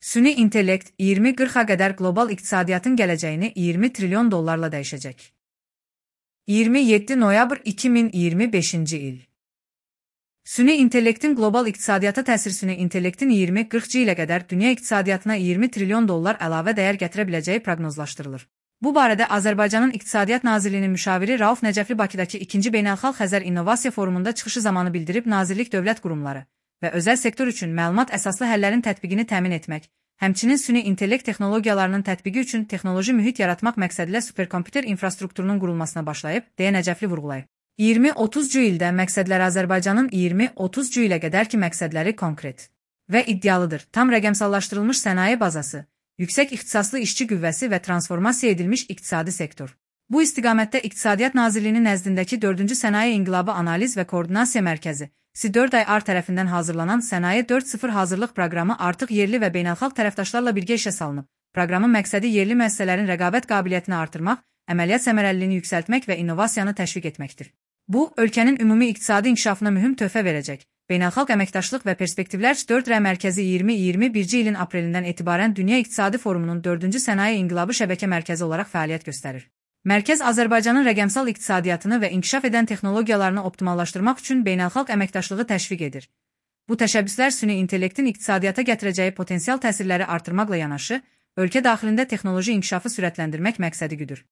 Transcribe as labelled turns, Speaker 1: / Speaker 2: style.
Speaker 1: Süni intellekt 2040-a qədər qlobal iqtisadiyyatın gələcəyini 20 trilyon dollarla dəyişəcək. 27 noyabr 2025-ci il. Süni intellektin qlobal iqtisadiyyata təsiri süni intellektin 2040-cı ilə qədər dünya iqtisadiyyatına 20 trilyon dollar əlavə dəyər gətirə biləcəyi proqnozlaşdırılır. Bu barədə Azərbaycanın İqtisadiyyat Nazirliyinin müşaviri Rauf Nəcəfli Bakıdakı 2-ci Beynəlxalq Xəzər İnnovasiya Forumunda çıxışı zamanı bildirib, Nazirlik dövlət qurumları və özəl sektor üçün məlumat əsaslı həllərin tətbiqini təmin etmək, həmçinin süni intellekt texnologiyalarının tətbiqi üçün texnoloji mühit yaratmaq məqsədilə superkomputer infrastrukturunun qurulmasına başlayıb, deyə Nəcəfli vurğulayıb. 2030-cu ildə məqsədlər Azərbaycanın 2030-cu ilə qədərki məqsədləri konkret və iddialıdır. Tam rəqəmsallaşdırılmış sənaye bazası, yüksək ixtisaslı işçi qüvvəsi və transformasiya edilmiş iqtisadi sektor. Bu istiqamətdə İqtisadiyyat Nazirliyinin nəzdindəki 4-cü Sənaye İnqilabı Analiz və Koordinasiya Mərkəzi (Sİ4AY) tərəfindən hazırlanan Sənaye 4.0 hazırlıq proqramı artıq yerli və beynəlxalq tərəfdaşlarla birgə işə salınıb. Proqramın məqsədi yerli müəssisələrin rəqabət qabiliyyətini artırmaq, əməliyyat səmərəliliyini yüksəltmək və innovasiyanı təşviq etməkdir. Bu, ölkənin ümumi iqtisadi inkişafına mühüm töhfə verəcək. Beynəlxalq Əməkdaşlıq və Perspektivlər 4R Mərkəzi 2021-ci ilin aprelindən etibarən Dünya İqtisadi Forumunun 4-cü Sənaye İnqilabı şəbəkə mərkəzi olaraq fəaliyyət göstərir. Mərkəz Azərbaycanın rəqəmsal iqtisadiyyatını və inkişaf edən texnologiyalarını optimallaşdırmaq üçün beynəlxalq əməkdaşlığı təşviq edir. Bu təşəbbüslər süni intellektin iqtisadiyyata gətirəcəyi potensial təsirləri artırmaqla yanaşı, ölkə daxilində texnoloji inkişafı sürətləndirmək məqsədi güdür.